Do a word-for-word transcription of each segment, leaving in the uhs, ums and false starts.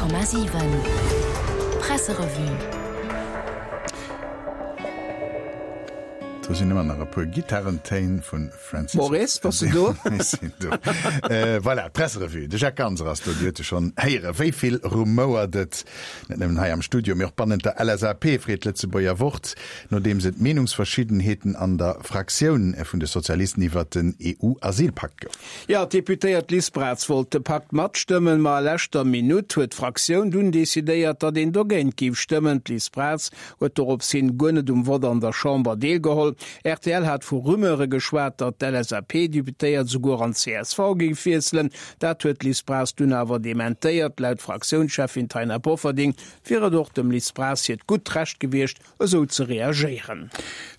Komma siwen Presserevue. Do sinn ëmmer nach e puer Gittarentéin vu Francis. Maurice, bass du do? Ech sinn do. Voilà, d'Presserevue. De Jacques Ganser ass do. Dir huet e schonn héieren. Wéi vill rumouert et, net nëmmen hei am Studio, mee och bannent der LSAP, freet d'Lëtzebuerger Wort, nodeems et Meenungsverschiddenheeten an der Fraktioun vun de Sozialisten iwwert den EU-Asylpakt gouf. Jo, d'Deputéiert Liz Braz wollt de Pakt matstëmmen, ma a leschter Minutt huet d'Fraktioun dunn decidéiert, datt een dogéint géif stëmmen. D'Liz Braz huet dorops hin guer net um Vott an der Chamber deelgeholl. Rtl hat vu Rumeure geschwat, datt d'LSAP-Deputéiert souguer an d'CSV géif wiesselen. Dat huet d'Liz Braz dunn awer dementéiert. Laut Fraktiounscheffin Taina Bofferding wier et och dem Liz Braz hiert gutt Recht gewiescht, esou ze reagéieren.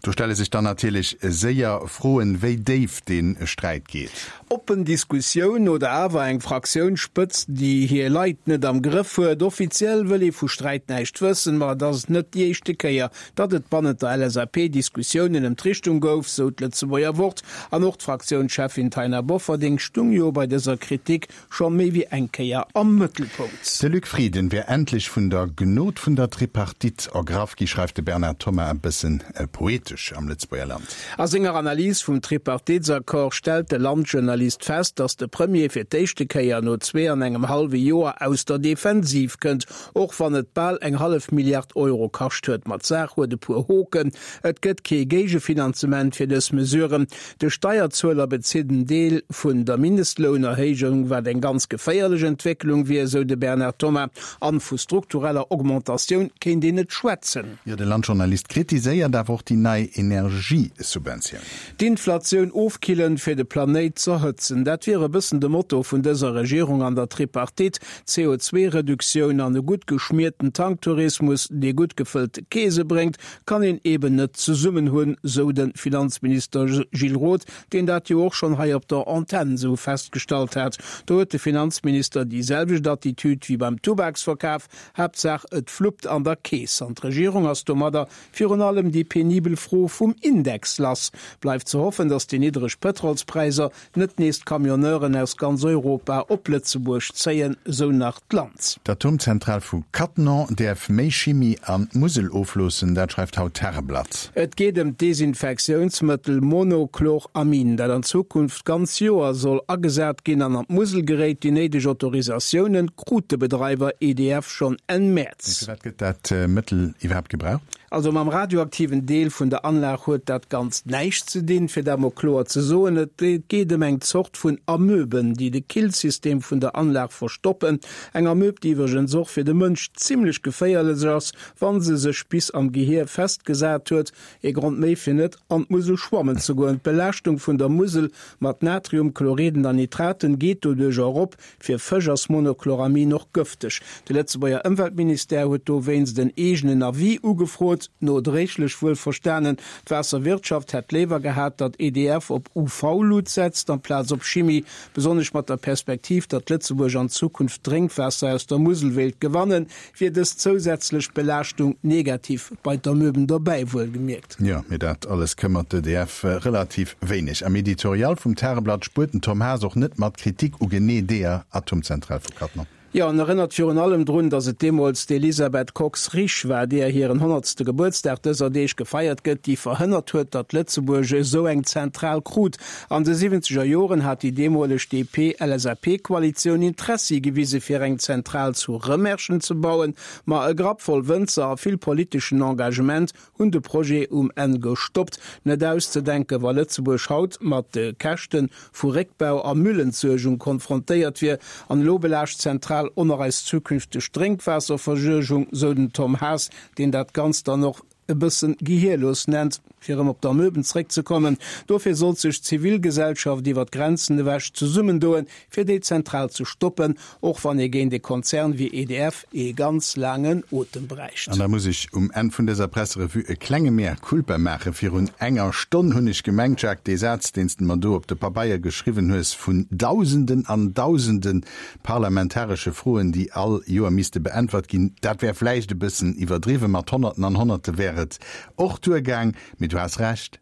Do stelle sech dann natierlech séier Froen, wéi déif dee Sträit geet. Oppen Diskussioun oder awer eng Fraktiounsspëtzt, déi hir Leit net am Grëff huet? Offiziell wëll ee vu Sträit näischt wëssen, ma et ass net déi éischte Kéier, datt et bannent der LSAP Diskussiounen ëm d'Richtung gouf, sou d'Lëtzebuerger Wort. An och d'Fraktiounscheffin Taina Bofferding stung jo bei dëser Kritik scho méi wéi eng Kéier am Mëttelpunkt. De Luc Frieden wär endlech vun der Gnod vun der Tripartite ergraff gi, schreift de Bernard Thomas e bëssen poetesch am Lëtzebuerger Land. A senger Analys vum Tripartitesaccord stellt de Land-Journalist fest, datt de Premier fir d'éischte Kéier no zwee an engem hallwe Joer aus der Defensiv kënnt, och wann et bal eng hallef Milliard Euro kascht huet. Ma d'Saach huet e puer Hoken, Et gëtt kee Géigefinanzement fir dës Mesuren, de Steierzueler bezitt en Deel vun der Mindestlounerhéijung, wat eng ganz geféierlech Entwécklung wier, esou de Bernard Thomas. An vu struktureller Augmentatioun kéint een net schwätzen. Jo, de Landjournalist kritiséiert awer och déi nei Energiesubventioun. D'Inflatioun ofkillen, fir de Planéit z'erhëtzen, dat wier e bëssen de Motto vun dëser Regierung an der Tripartite. C O zwee Reduktioun an e gutt geschmierten Tanktourismus, dee gutt gefëllte Keese bréngt, kann een eben net zesummen hunn, sou de Finanzminister Gilles Roth, deen dat jo och schonn hei op der Antenn esou festgestallt hat. Do huet de Finanzminister déi selwecht Attitüd wéi beim Tubaksverkaf, Haaptsaach et fluppt an der Keess. An d'Regierung ass domadder virun allem déi penibel Fro vum Index lass. Bleift ze hoffen, datt déi niddreg Pëtrolspräisser net nees d'Camionneuren aus ganz Europa op Lëtzebuerg zéien, sou nach d'Lanz. D'Atomzentral vu Cattenom däerf méi Chimie an d'Musel ofloossen, dat schreift haut d'Tageblatt. Et geet ëm d'Desinfektiounsmëttel Monochloramin, dat an Zukunft d'ganz Joer soll agesat ginn an an d'Musel geréit. Déi néideg Autorisatiounen krut de Bedreiwer E D F schonn Enn Mee Mäerz. firwat gëtt dat Mëttel iwwerhaapt gebraucht? Also mam radioaktiven Deel vun der Anlag huet dat Ganzt näischt ze dinn, fir dat mol kloer ze soen. Et geet ëm eng Zort vun Amöben, déi de Killsystem vun der Anlag verstoppen. Eng Amöb, déi iwwregens och fir de Mënsch zimlech geféierlech ass, wa se sech bis am Gehier festgesat huet. Ee Grond méi fir net an d'Musel schwammen ze goen. D'Belaaschtung vun der Musel mat Natriumchloriden an Nitraten geet doduerch erop. Fir Fësch ass Monochloramin och gëfteg. De Lëtzebuerger Ëmweltministère huet dowéinst en eegenen Avis ugefrot, nodréiglech wuel verstanen. D'Waasserwirtschaft hätt léiwer gehat, datt E D F op U V-Lut setzt amplaz op Chimie, besonnesch mat der Perspektiv, datt Lëtzebuerg an Zukunft Drénkwaasser aus der Musel wéilt gewannen, wier dës zousätzlech Belaaschtung negativ, bei d'Amöben dobäi wuelgemierkt. Jo, mee dat alles këmmert d'E D F relativ wéineg. Am Editorial vum Tageblatt spuert den Tom Haas och net mat Kritik u genee deeër Atomzentral vu Cattenom. Jo, en erënnert virun allem drun, datt et deemools d'Elisabeth Kox-Risch war, deeër hiren honnertste Gebuertsdag dëser Deeg gefeiert gëtt, déi verhënnert huet, datt Lëtzebuerg esou eng Zentral krut. An de siwwenzeger Joren hat déi deemoleg D P-L S A P-Koalitioun Interessi gewise fir eng Zentral zu Rëmerschen ze bauen, ma e Grapp voll Wënzer a vill politeschen Engagement hunn de Projet um Enn gestoppt. Net auszedenken, wa Lëtzebuerg haut mat de Käschte vu Réckbau a Müllentsuergung konfrontéiert wier. An elo belaascht d'Zentral och nach eis zukünfteg Drénkwaasserversuergung, sou den Tom Haas, deen dat Ganzt dann och e bëssen gehierlos nennt. Fir erëm op d'Amöben zréckzekommen, dofir sollt sech d'Zivilgesellschaft iwwer d'Grenzen ewech zesummendoen, fir déi Zentral ze stoppen, och wann ee géint e Konzern wéi E D F ee ganz laangen Otem bräicht. An da muss ech um Enn vun dëser Presserevue e klenge Mea culpa maachen. Virun enger Stonn hunn ech gemengt, Jacques, dee Saz, deen s de mer do op de Pabeier geschriwwen hues, vun Dausenden an Dausende parlamentaresche Froen, déi all Joer misste beäntwert ginn, dat wär vläicht e bëssen iwwerdriwwen, mat Honnerten an Honnerte wär et och duergaang. Mee du has Recht,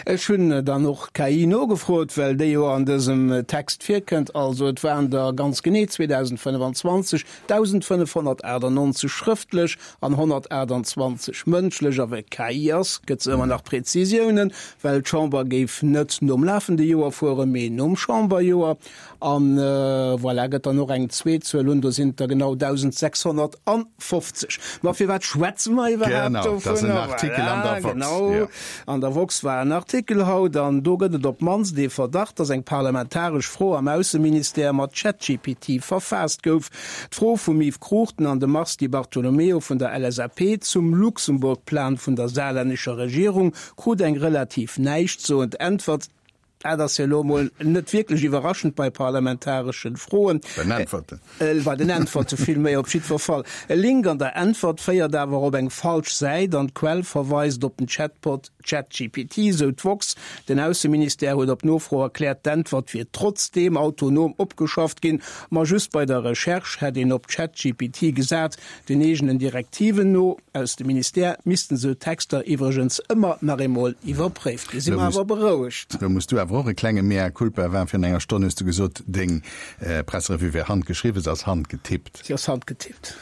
Ech hunn dann och d'KI nogefrot, well déi jo an dësem Text virkënnt. Also et waren der ganz genee zweedausendfënnefanzwanzeg dausendfënnefhonnertachtannonzeg schrëftlech an honnertaachtanzwanzeg mëndlech. A well et d'KI ass, gëtt se ëmmer nach Prezisiounen, well d'Chamber géif net nom lafende Joer fueren, mee nom Chamberjoer. An voilà, gëtt dann och eng zweet Zuel un, do sinn et der genau dausendsechshonnertfofzeg. Ma firwat schwätze mer iwwerhaapt Genau, dat ass en dovunner? Artikel an Voilà, der Woxx, genau. jo. An der Woxx war en Artikel haut, an do gëtt et op d'mannst ee Verdacht, datt eng parlamentaresch Fro am Ausseministère mat ChatGPT verfaasst gouf. D'Fro vum Yves Cruchten an dem Mars Di Bartolomeo vun der L S A P zum Luxemburg-Plan vun der saarlännescher Regierung krut eng relativ näischtsoend Äntwert. Dat ass jo elo emol net wierklech iwwerraschend bei parlamentareschen Froen. Bei den Äntwerten. Bei den Äntwerte villméi, op jiddwer Fall. E Link an der Äntwert féiert awer op eng falsch Säit an d'Quell verweist op den Chatbot ChatGPT, sou d'woxx. Den Ausseministère huet op Nofro erkläert, d'Äntwert wier trotzdeem autonom opgeschafft ginn, ma just bei der Recherche hätt een op ChatGPT gesat. Den eegenen Direktiven no aus dem Ministère missten esou Texter iwwregens ëmmer nach eemol iwwerpréift ginn. Si mer awer berouegt. Lo muss du awer och e klenge Mea culpa war. Virun enger Stonn hues du gesot, deng Presserevue wär handgeschriwwen. Se ass handgetippt. Si ass handgetippt.